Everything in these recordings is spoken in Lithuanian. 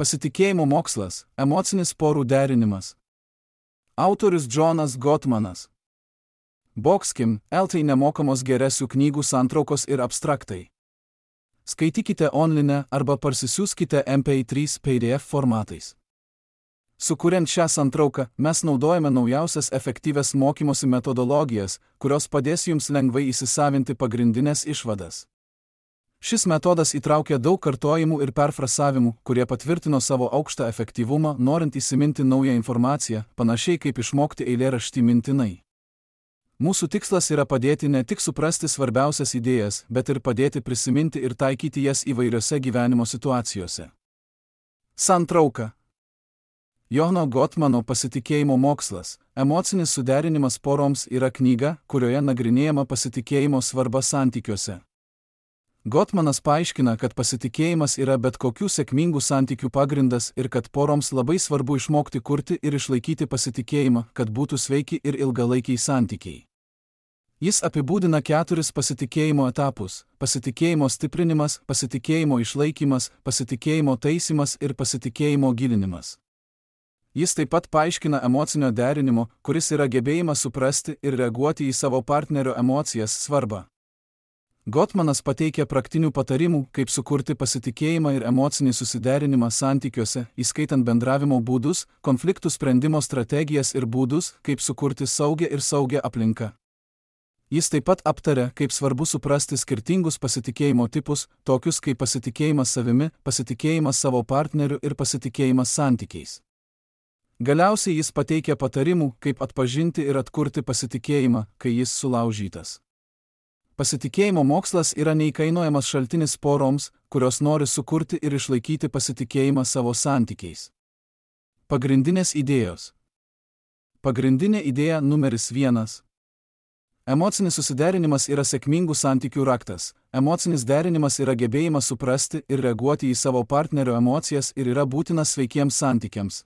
Pasitikėjimo mokslas – emocinis porų derinimas. Autorius Jonas Gottmanas. Boxkim, LT nemokamos geresių knygų santraukos ir abstraktai. Skaitykite online arba parsisiųskite MP3 PDF formatais. Sukuriant šią santrauką, mes naudojame naujausias efektyvias mokymosi metodologijas, kurios padės jums lengvai įsisavinti pagrindinės išvadas. Šis metodas įtraukia daug kartojimų ir perfrasavimų, kurie patvirtino savo aukštą efektyvumą, norint įsiminti naują informaciją, panašiai kaip išmokti eilėraštį mintinai. Mūsų tikslas yra padėti ne tik suprasti svarbiausias idėjas, bet ir padėti prisiminti ir taikyti jas įvairiose gyvenimo situacijose. Santrauka. Jono Gottmano Pasitikėjimo mokslas – emocinis suderinimas poroms yra knyga, kurioje nagrinėjama pasitikėjimo svarba santykiuose. Gottmanas paaiškina, kad pasitikėjimas yra bet kokių sėkmingų santykių pagrindas ir kad poroms labai svarbu išmokti kurti ir išlaikyti pasitikėjimą, kad būtų sveiki ir ilgalaikiai santykiai. Jis apibūdina 4 pasitikėjimo etapus – pasitikėjimo stiprinimas, pasitikėjimo išlaikymas, pasitikėjimo taisymas ir pasitikėjimo gilinimas. Jis taip pat paaiškina emocinio derinimo, kuris yra gebėjimas suprasti ir reaguoti į savo partnerio emocijas svarbą. Gottmanas pateikia praktinių patarimų, kaip sukurti pasitikėjimą ir emocinį susiderinimą santykiuose, įskaitant bendravimo būdus, konfliktų sprendimo strategijas ir būdus, kaip sukurti saugią aplinką. Jis taip pat aptaria, kaip svarbu suprasti skirtingus pasitikėjimo tipus, tokius kaip pasitikėjimas savimi, pasitikėjimas savo partneriu ir pasitikėjimas santykiais. Galiausiai jis pateikia patarimų, kaip atpažinti ir atkurti pasitikėjimą, kai jis sulaužytas. Pasitikėjimo mokslas yra neįkainojamas šaltinis poroms, kurios nori sukurti ir išlaikyti pasitikėjimą savo santykiais. Pagrindinės idėjos. Pagrindinė idėja numeris 1. Emocinis susiderinimas yra sėkmingų santykių raktas. Emocinis derinimas yra gebėjimas suprasti ir reaguoti į savo partnerio emocijas ir yra būtinas sveikiems santykiams.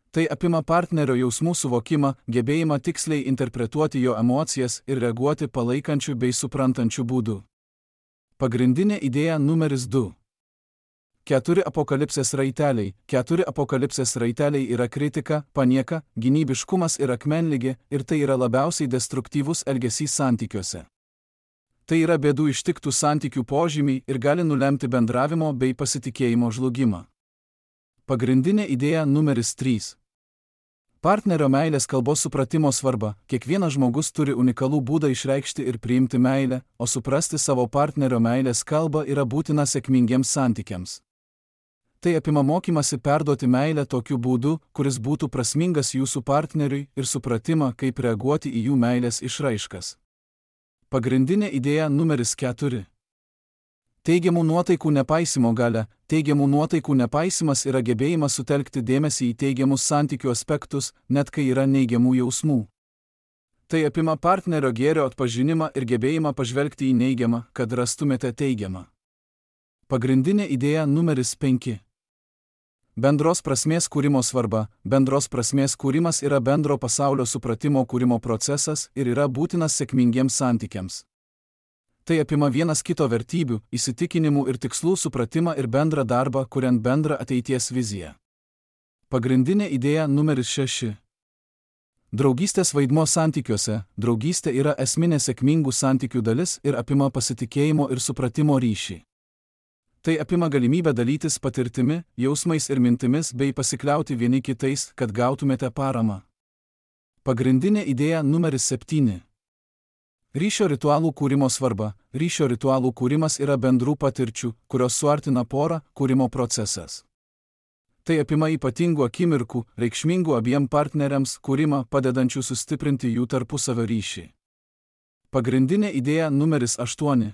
Tai apima partnerio jausmų suvokimą, gebėjimą tiksliai interpretuoti jo emocijas ir reaguoti palaikančių bei suprantančių būdų. Pagrindinė idėja numeris 2. 4 apokalipsės raiteliai. 4 apokalipsės raiteliai yra kritika, panieka, gynybiškumas ir akmenligė, ir tai yra labiausiai destruktyvus elgesys santykiuose. Tai yra bėdų ištiktų santykių požymiai ir gali nulemti bendravimo bei pasitikėjimo žlugimą. Pagrindinė idėja numeris 3. Partnerio meilės kalbos supratimo svarba. Kiekvienas žmogus turi unikalų būdą išreikšti ir priimti meilę, o suprasti savo partnerio meilės kalbą yra būtina sėkmingiems santykiams. Tai apima mokymasi perduoti meilę tokiu būdu, kuris būtų prasmingas jūsų partneriui, ir supratimą, kaip reaguoti į jų meilės išraiškas. Pagrindinė idėja numeris 4. Teigiamų nuotaikų nepaisimo galia. Teigiamų nuotaikų nepaisimas yra gebėjimas sutelkti dėmesį į teigiamus santykių aspektus, net kai yra neigiamų jausmų. Tai apima partnerio gėrio atpažinimą ir gebėjimą pažvelgti į neigiamą, kad rastumėte teigiamą. Pagrindinė idėja numeris 5. Bendros prasmės kūrimo svarba. Bendros prasmės kūrimas yra bendro pasaulio supratimo kūrimo procesas ir yra būtinas sėkmingiems santykiams. Tai apima vienas kito vertybių, įsitikinimų ir tikslų supratimą ir bendrą darbą, kuriant bendrą ateities viziją. Pagrindinė idėja numeris 6. Draugystės vaidmuo santykiuose. Draugystė yra esminė sėkmingų santykių dalis ir apima pasitikėjimo ir supratimo ryšį. Tai apima galimybę dalytis patirtimi, jausmais ir mintimis bei pasikliauti vieni kitais, kad gautumėte paramą. Pagrindinė idėja numeris 7. Ryšio ritualų kūrimo svarba. Ryšio ritualų kūrimas yra bendrų patirčių, kurios suartina porą, kūrimo procesas. Tai apima ypatingų akimirkų, reikšmingų abiem partneriams kūrimą, padedančių sustiprinti jų tarpusavio ryšį. Pagrindinė idėja numeris 8.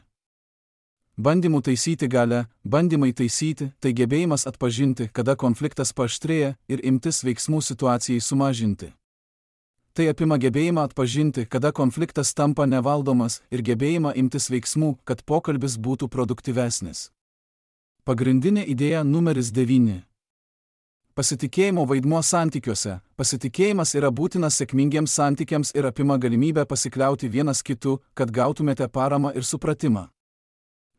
Bandymų taisyti galia. Bandymai taisyti – tai gebėjimas atpažinti, kada konfliktas paaštrėja ir imtis veiksmų situacijai sumažinti. Tai apima gebėjimą atpažinti, kada konfliktas tampa nevaldomas ir gebėjimą imtis veiksmų, kad pokalbis būtų produktyvesnis. Pagrindinė idėja numeris 9. Pasitikėjimo vaidmuo santykiuose. Pasitikėjimas yra būtinas sėkmingiems santykiams ir apima galimybę pasikliauti vienas kitu, kad gautumėte paramą ir supratimą.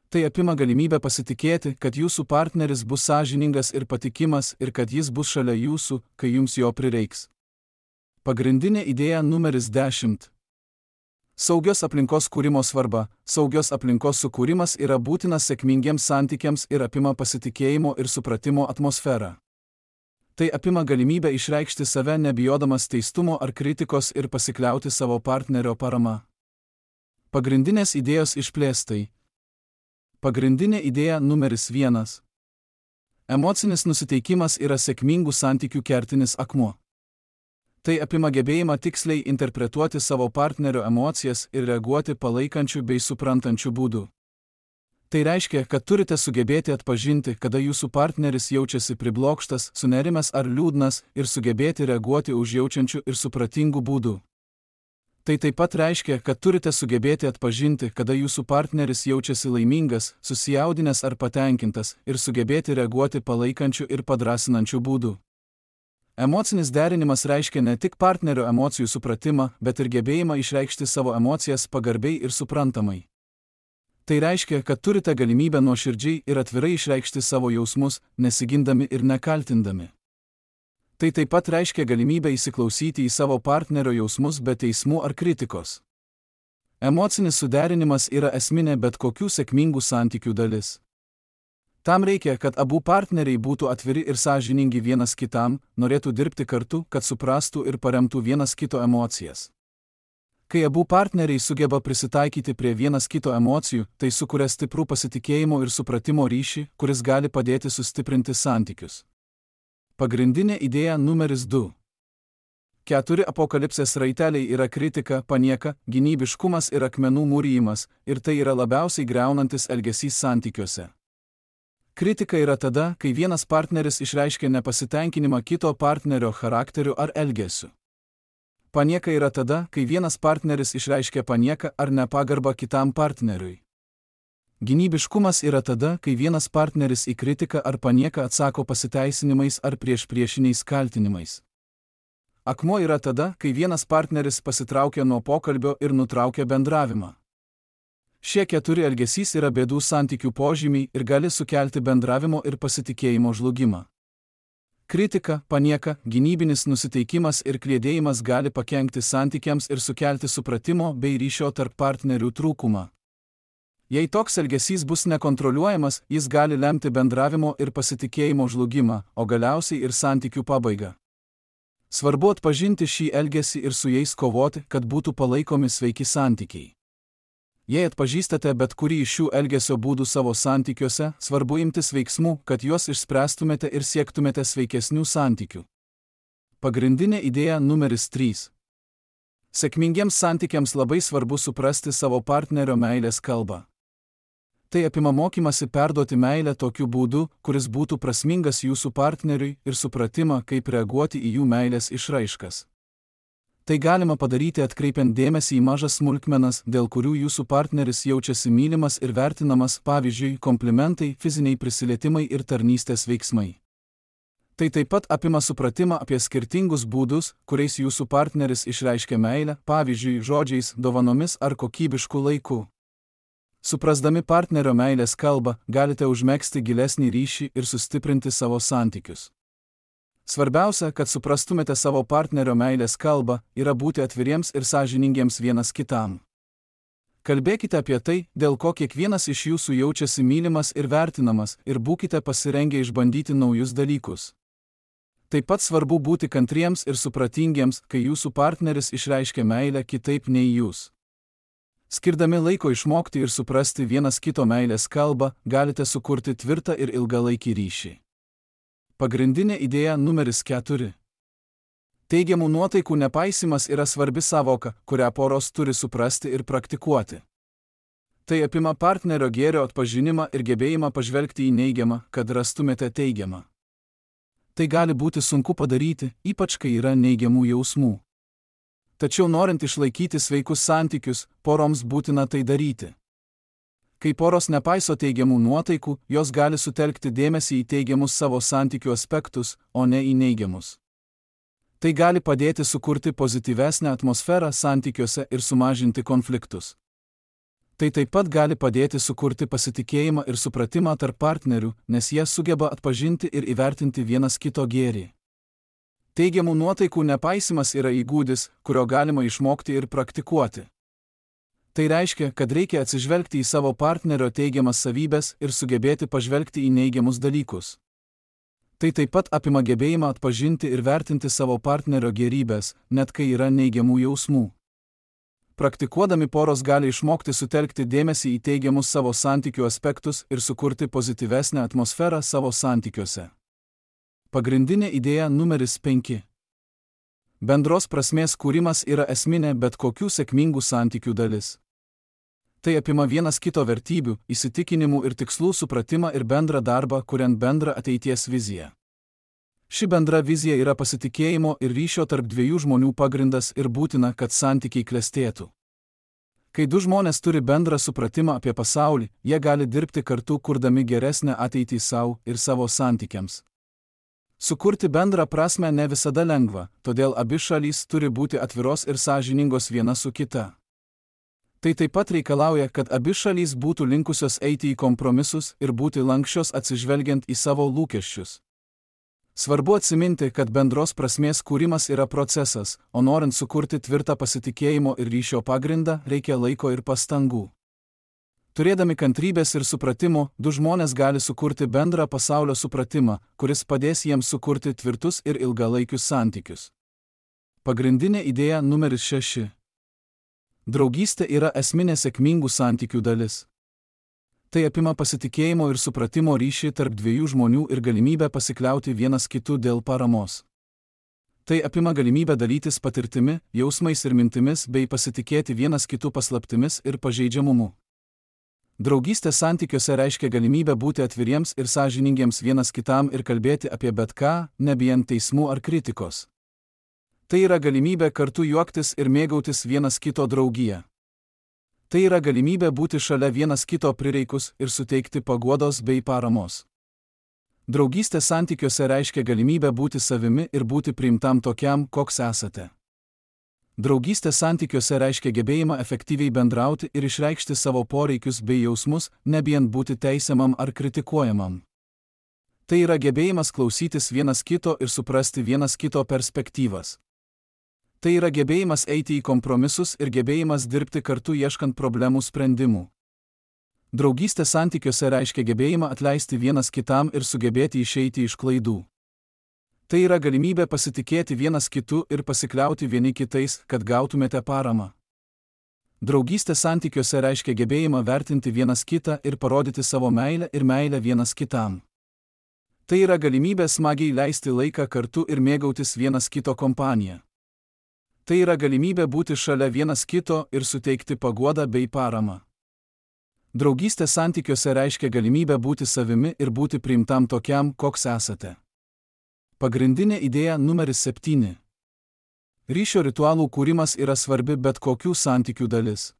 Tai apima galimybę pasitikėti, kad jūsų partneris bus sąžiningas ir patikimas ir kad jis bus šalia jūsų, kai jums jo prireiks. Pagrindinė idėja numeris 10. Saugios aplinkos kūrimo svarba. Saugios aplinkos sukūrimas yra būtinas sėkmingiems santykiams ir apima pasitikėjimo ir supratimo atmosferą. Tai apima galimybę išreikšti save nebijodamas teistumo ar kritikos ir pasikliauti savo partnerio parama. Pagrindinės idėjos išplėstai. Pagrindinė idėja numeris 1. Emocinis nusiteikimas yra sėkmingų santykių kertinis akmuo. Tai apima gebėjimą tiksliai interpretuoti savo partnerio emocijas ir reaguoti palaikančių bei suprantančių būdų. Tai reiškia, kad turite sugebėti atpažinti, kada jūsų partneris jaučiasi priblokštas, sunerimęs ar liūdnas ir sugebėti reaguoti užjaučiančių ir supratingų būdų. Tai taip pat reiškia, kad turite sugebėti atpažinti, kada jūsų partneris jaučiasi laimingas, susijaudinęs ar patenkintas ir sugebėti reaguoti palaikančių ir padrasinančių būdų. Emocinis derinimas reiškia ne tik partnerio emocijų supratimą, bet ir gebėjimą išreikšti savo emocijas pagarbiai ir suprantamai. Tai reiškia, kad turite galimybę nuoširdžiai ir atvirai išreikšti savo jausmus, nesigindami ir nekaltindami. Tai taip pat reiškia galimybę įsiklausyti į savo partnerio jausmus be teismų ar kritikos. Emocinis suderinimas yra esminė bet kokių sėkmingų santykių dalis. Tam reikia, kad abu partneriai būtų atviri ir sąžiningi vienas kitam, norėtų dirbti kartu, kad suprastų ir paremtų vienas kito emocijas. Kai abu partneriai sugeba prisitaikyti prie vienas kito emocijų, tai sukuria stiprų pasitikėjimo ir supratimo ryšį, kuris gali padėti sustiprinti santykius. Pagrindinė idėja numeris 2. 4 apokalipsės raiteliai yra kritika, panieka, gynybiškumas ir akmenų mūrijimas, ir tai yra labiausiai griaunantis elgesys santykiuose. Kritika yra tada, kai vienas partneris išreiškia nepasitenkinimą kito partnerio charakteriu ar elgesiu. Panieka yra tada, kai vienas partneris išreiškia panieką ar nepagarbą kitam partneriui. Gynybiškumas yra tada, kai vienas partneris į kritiką ar panieką atsako pasiteisinimais ar priešiniais kaltinimais. Akmuo yra tada, kai vienas partneris pasitraukia nuo pokalbio ir nutraukia bendravimą. Šie 4 elgesys yra bėdų santykių požymiai ir gali sukelti bendravimo ir pasitikėjimo žlugimą. Kritika, panieka, gynybinis nusiteikimas ir kliedėjimas gali pakenkti santykiams ir sukelti supratimo bei ryšio tarp partnerių trūkumą. Jei toks elgesys bus nekontroliuojamas, jis gali lemti bendravimo ir pasitikėjimo žlugimą, o galiausiai ir santykių pabaigą. Svarbu atpažinti šį elgesį ir su jais kovoti, kad būtų palaikomi sveiki santykiai. Jei atpažįstate bet kurį iš šių elgesio būdų savo santykiuose, svarbu imtis veiksmų, kad juos išspręstumėte ir siektumėte sveikesnių santykių. Pagrindinė idėja numeris 3. Sėkmingiems santykiams labai svarbu suprasti savo partnerio meilės kalbą. Tai apima mokymasi perduoti meilę tokiu būdu, kuris būtų prasmingas jūsų partneriui ir supratimą, kaip reaguoti į jų meilės išraiškas. Tai galima padaryti atkreipiant dėmesį į mažas smulkmenas, dėl kurių jūsų partneris jaučiasi mylimas ir vertinamas, pavyzdžiui, komplimentai, fiziniai prisilietimai ir tarnystės veiksmai. Tai taip pat apima supratimą apie skirtingus būdus, kuriais jūsų partneris išreiškia meilę, pavyzdžiui, žodžiais, dovanomis ar kokybišku laiku. Suprasdami partnerio meilės kalbą, galite užmegzti gilesnį ryšį ir sustiprinti savo santykius. Svarbiausia, kad suprastumėte savo partnerio meilės kalbą, yra būti atviriems ir sąžiningiems vienas kitam. Kalbėkite apie tai, dėl ko kiekvienas iš jūsų jaučiasi mylimas ir vertinamas, ir būkite pasirengę išbandyti naujus dalykus. Taip pat svarbu būti kantriems ir supratingiems, kai jūsų partneris išreiškia meilę kitaip nei jūs. Skirdami laiko išmokti ir suprasti vienas kito meilės kalbą, galite sukurti tvirtą ir ilgalaikį ryšį. Pagrindinė idėja numeris 4. Teigiamų nuotaikų nepaisimas yra svarbi savoka, kurią poros turi suprasti ir praktikuoti. Tai apima partnerio gėrio atpažinimą ir gebėjimą pažvelgti į neigiamą, kad rastumėte teigiamą. Tai gali būti sunku padaryti, ypač kai yra neigiamų jausmų. Tačiau norint išlaikyti sveikus santykius, poroms būtina tai daryti. Kai poros nepaiso teigiamų nuotaikų, jos gali sutelkti dėmesį į teigiamus savo santykių aspektus, o ne į neigiamus. Tai gali padėti sukurti pozityvesnę atmosferą santykiuose ir sumažinti konfliktus. Tai taip pat gali padėti sukurti pasitikėjimą ir supratimą tarp partnerių, nes jie sugeba atpažinti ir įvertinti vienas kito gėrį. Teigiamų nuotaikų nepaisimas yra įgūdis, kurio galima išmokti ir praktikuoti. Tai reiškia, kad reikia atsižvelgti į savo partnerio teigiamas savybes ir sugebėti pažvelgti į neigiamus dalykus. Tai taip pat apima gebėjimą atpažinti ir vertinti savo partnerio gėrybes, net kai yra neigiamų jausmų. Praktikuodami poros gali išmokti sutelkti dėmesį į teigiamus savo santykių aspektus ir sukurti pozityvesnę atmosferą savo santykiuose. Pagrindinė idėja numeris 5. Bendros prasmės kūrimas yra esminė bet kokių sėkmingų santykių dalis. Tai apima vienas kito vertybių, įsitikinimų ir tikslų supratimą ir bendrą darbą, kuriant bendrą ateities viziją. Ši bendra vizija yra pasitikėjimo ir ryšio tarp dviejų žmonių pagrindas ir būtina, kad santykiai klestėtų. Kai du žmonės turi bendrą supratimą apie pasaulį, jie gali dirbti kartu, kurdami geresnę ateitį savo ir savo santykiams. Sukurti bendrą prasmę ne visada lengva, todėl abi šalys turi būti atviros ir sąžiningos viena su kita. Tai taip pat reikalauja, kad abi šalys būtų linkusios eiti į kompromisus ir būti lanksčios atsižvelgiant į savo lūkesčius. Svarbu atsiminti, kad bendros prasmės kūrimas yra procesas, o norint sukurti tvirtą pasitikėjimo ir ryšio pagrindą, reikia laiko ir pastangų. Turėdami kantrybės ir supratimo, du žmonės gali sukurti bendrą pasaulio supratimą, kuris padės jiems sukurti tvirtus ir ilgalaikius santykius. Pagrindinė idėja numeris 6. Draugystė yra esminė sėkmingų santykių dalis. Tai apima pasitikėjimo ir supratimo ryšį tarp dviejų žmonių ir galimybę pasikliauti vienas kitu dėl paramos. Tai apima galimybę dalytis patirtimi, jausmais ir mintimis bei pasitikėti vienas kitu paslaptimis ir pažeidžiamumu. Draugystė santykiuose reiškia galimybę būti atviriems ir sąžiningiems vienas kitam ir kalbėti apie bet ką, nebijant teismų ar kritikos. Tai yra galimybė kartu juoktis ir mėgautis vienas kito draugiją. Tai yra galimybė būti šalia vienas kito prireikus ir suteikti paguodos bei paramos. Draugystė santykiuose reiškia galimybę būti savimi ir būti priimtam tokiam, koks esate. Draugystė santykiuose reiškia gebėjimą efektyviai bendrauti ir išreikšti savo poreikius bei jausmus, nebijant būti teisiamam ar kritikuojamam. Tai yra gebėjimas klausytis vienas kito ir suprasti vienas kito perspektyvas. Tai yra gebėjimas eiti į kompromisus ir gebėjimas dirbti kartu ieškant problemų sprendimų. Draugystė santykiuose reiškia gebėjimą atleisti vienas kitam ir sugebėti išeiti iš klaidų. Tai yra galimybė pasitikėti vienas kitu ir pasikliauti vieni kitais, kad gautumėte paramą. Draugystė santykiuose reiškia gebėjimą vertinti vienas kitą ir parodyti savo meilę ir meilę vienas kitam. Tai yra galimybė smagiai leisti laiką kartu ir mėgautis vienas kito kompaniją. Tai yra galimybė būti šalia vienas kito ir suteikti paguodą bei paramą. Draugystė santykiuose reiškia galimybę būti savimi ir būti priimtam tokiam, koks esate. Pagrindinė idėja numeris 7. Ryšio ritualų kūrimas yra svarbi bet kokių santykių dalis.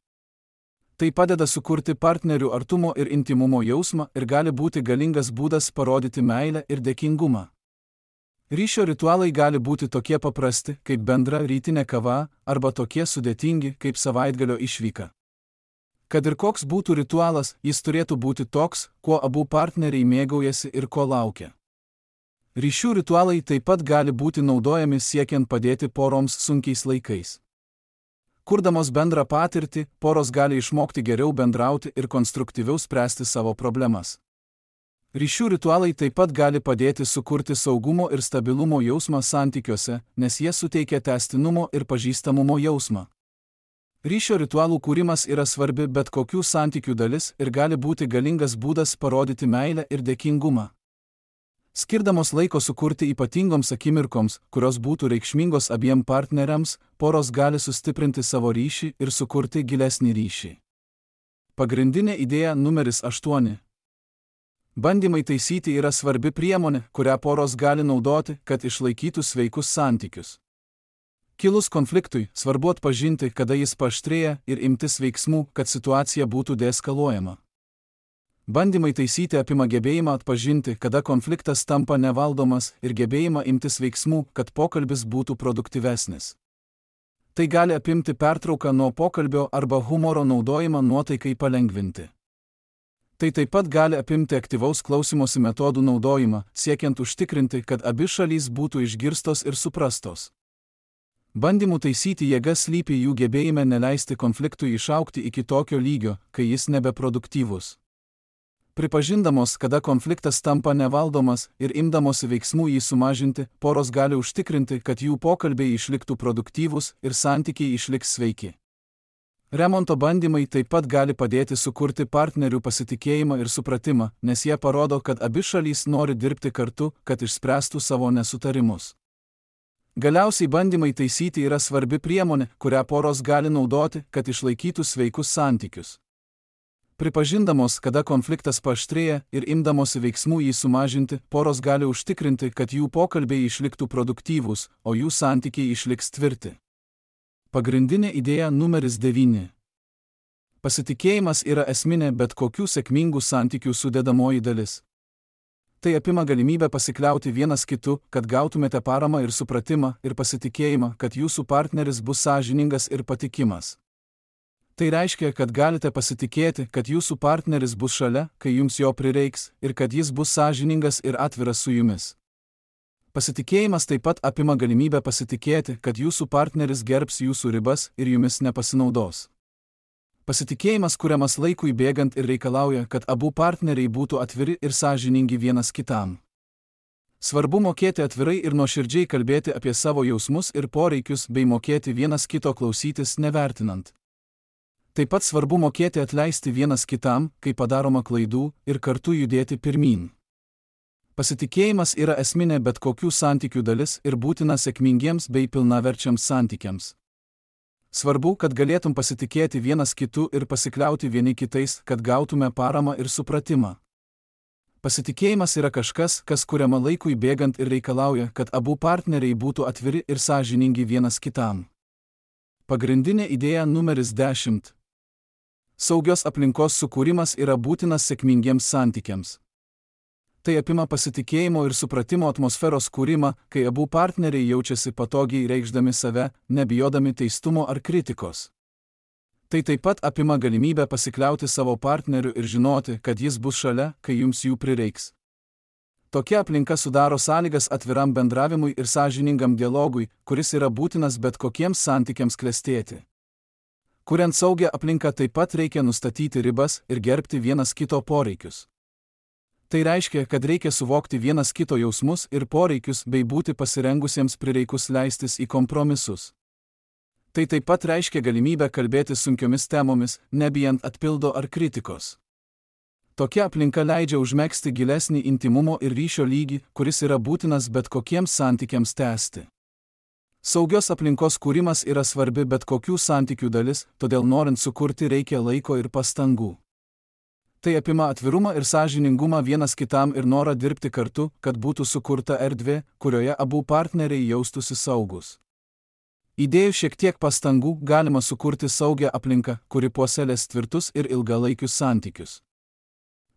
Tai padeda sukurti partnerių artumo ir intimumo jausmą ir gali būti galingas būdas parodyti meilę ir dėkingumą. Ryšio ritualai gali būti tokie paprasti, kaip bendra rytinė kava, arba tokie sudėtingi, kaip savaitgalio išvyka. Kad ir koks būtų ritualas, jis turėtų būti toks, kuo abu partneriai mėgaujasi ir ko laukia. Ryšių ritualai taip pat gali būti naudojami siekiant padėti poroms sunkiais laikais. Kurdamos bendrą patirtį, poros gali išmokti geriau bendrauti ir konstruktyviau spręsti savo problemas. Ryšių ritualai taip pat gali padėti sukurti saugumo ir stabilumo jausmą santykiuose, nes jie suteikia tęstinumo ir pažįstamumo jausmą. Ryšio ritualų kūrimas yra svarbi bet kokių santykių dalis ir gali būti galingas būdas parodyti meilę ir dėkingumą. Skirdamos laiko sukurti ypatingoms akimirkoms, kurios būtų reikšmingos abiem partneriams, poros gali sustiprinti savo ryšį ir sukurti gilesnį ryšį. Pagrindinė idėja numeris 8. Bandymai taisyti yra svarbi priemonė, kurią poros gali naudoti, kad išlaikytų sveikus santykius. Kilus konfliktui, svarbu atpažinti, kada jis paaštrėja ir imtis veiksmų, kad situacija būtų deeskaluojama. Bandymai taisyti apima gebėjimą atpažinti, kada konfliktas tampa nevaldomas ir gebėjimą imtis veiksmų, kad pokalbis būtų produktyvesnis. Tai gali apimti pertrauką nuo pokalbio arba humoro naudojimą nuotaikai palengvinti. Tai taip pat gali apimti aktyvaus klausimosi metodų naudojimą, siekiant užtikrinti, kad abi šalys būtų išgirstos ir suprastos. Bandymų taisyti jėgas slypi jų gebėjime neleisti konfliktui išaugti iki tokio lygio, kai jis nebeproduktyvus. Pripažindamos, kada konfliktas tampa nevaldomas ir imdamosi veiksmų jį sumažinti, poros gali užtikrinti, kad jų pokalbiai išliktų produktyvūs ir santykiai išliks sveiki. Remonto bandymai taip pat gali padėti sukurti partnerių pasitikėjimą ir supratimą, nes jie parodo, kad abi šalys nori dirbti kartu, kad išspręstų savo nesutarimus. Galiausiai bandymai taisyti yra svarbi priemonė, kurią poros gali naudoti, kad išlaikytų sveikus santykius. Pripažindamos, kada konfliktas paaštrėja ir imdamosi veiksmų jį sumažinti, poros gali užtikrinti, kad jų pokalbiai išliktų produktyvūs, o jų santykiai išliks tvirti. Pagrindinė idėja numeris 9. Pasitikėjimas yra esminė bet kokių sėkmingų santykių sudedamoji dalis. Tai apima galimybę pasikliauti vienas kitu, kad gautumėte paramą ir supratimą ir pasitikėjimą, kad jūsų partneris bus sąžiningas ir patikimas. Tai reiškia, kad galite pasitikėti, kad jūsų partneris bus šalia, kai jums jo prireiks, ir kad jis bus sąžiningas ir atviras su jumis. Pasitikėjimas taip pat apima galimybę pasitikėti, kad jūsų partneris gerbs jūsų ribas ir jumis nepasinaudos. Pasitikėjimas kuriamas laikui bėgant ir reikalauja, kad abu partneriai būtų atviri ir sąžiningi vienas kitam. Svarbu mokėti atvirai ir nuoširdžiai kalbėti apie savo jausmus ir poreikius bei mokėti vienas kito klausytis nevertinant. Taip pat svarbu mokėti atleisti vienas kitam, kai padaroma klaidų, ir kartu judėti pirmyn. Pasitikėjimas yra esminė bet kokių santykių dalis ir būtina sėkmingiems bei pilnaverčiams santykiams. Svarbu, kad galėtum pasitikėti vienas kitu ir pasikliauti vieni kitais, kad gautume paramą ir supratimą. Pasitikėjimas yra kažkas, kas kuriama laikui bėgant ir reikalauja, kad abu partneriai būtų atviri ir sąžiningi vienas kitam. Pagrindinė idėja numeris 10. Saugios aplinkos sukūrimas yra būtinas sėkmingiems santykiams. Tai apima pasitikėjimo ir supratimo atmosferos kūrimą, kai abu partneriai jaučiasi patogiai reikšdami save, nebijodami teistumo ar kritikos. Tai taip pat apima galimybę pasikliauti savo partneriu ir žinoti, kad jis bus šalia, kai jums jų prireiks. Tokia aplinka sudaro sąlygas atviram bendravimui ir sąžiningam dialogui, kuris yra būtinas bet kokiems santykiams klestėti. Kuriant saugią aplinką taip pat reikia nustatyti ribas ir gerbti vienas kito poreikius. Tai reiškia, kad reikia suvokti vienas kito jausmus ir poreikius bei būti pasirengusiems prireikus leistis į kompromisus. Tai taip pat reiškia galimybę kalbėti sunkiomis temomis, nebijant atpildo ar kritikos. Tokia aplinka leidžia užmegzti gilesnį intimumo ir ryšio lygį, kuris yra būtinas bet kokiems santykiams tęsti. Saugios aplinkos kūrimas yra svarbi bet kokių santykių dalis, todėl norint sukurti reikia laiko ir pastangų. Tai apima atvirumą ir sąžiningumą vienas kitam ir norą dirbti kartu, kad būtų sukurta erdvė, kurioje abu partneriai jaustųsi saugus. Įdėjus šiek tiek pastangų galima sukurti saugią aplinką, kuri puoselės tvirtus ir ilgalaikius santykius.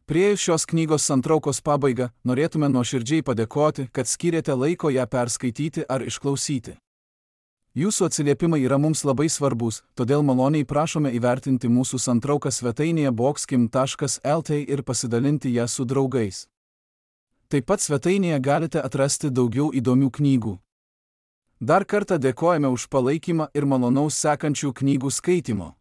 Priėjus šios knygos santraukos pabaigą, norėtume nuoširdžiai padėkoti, kad skyrėte laiko ją perskaityti ar išklausyti. Jūsų atsiliepimai yra mums labai svarbus, todėl maloniai prašome įvertinti mūsų santrauką svetainėje boxkim.lt ir pasidalinti ją su draugais. Taip pat svetainėje galite atrasti daugiau įdomių knygų. Dar kartą dėkojame už palaikymą ir malonaus sekančių knygų skaitimo.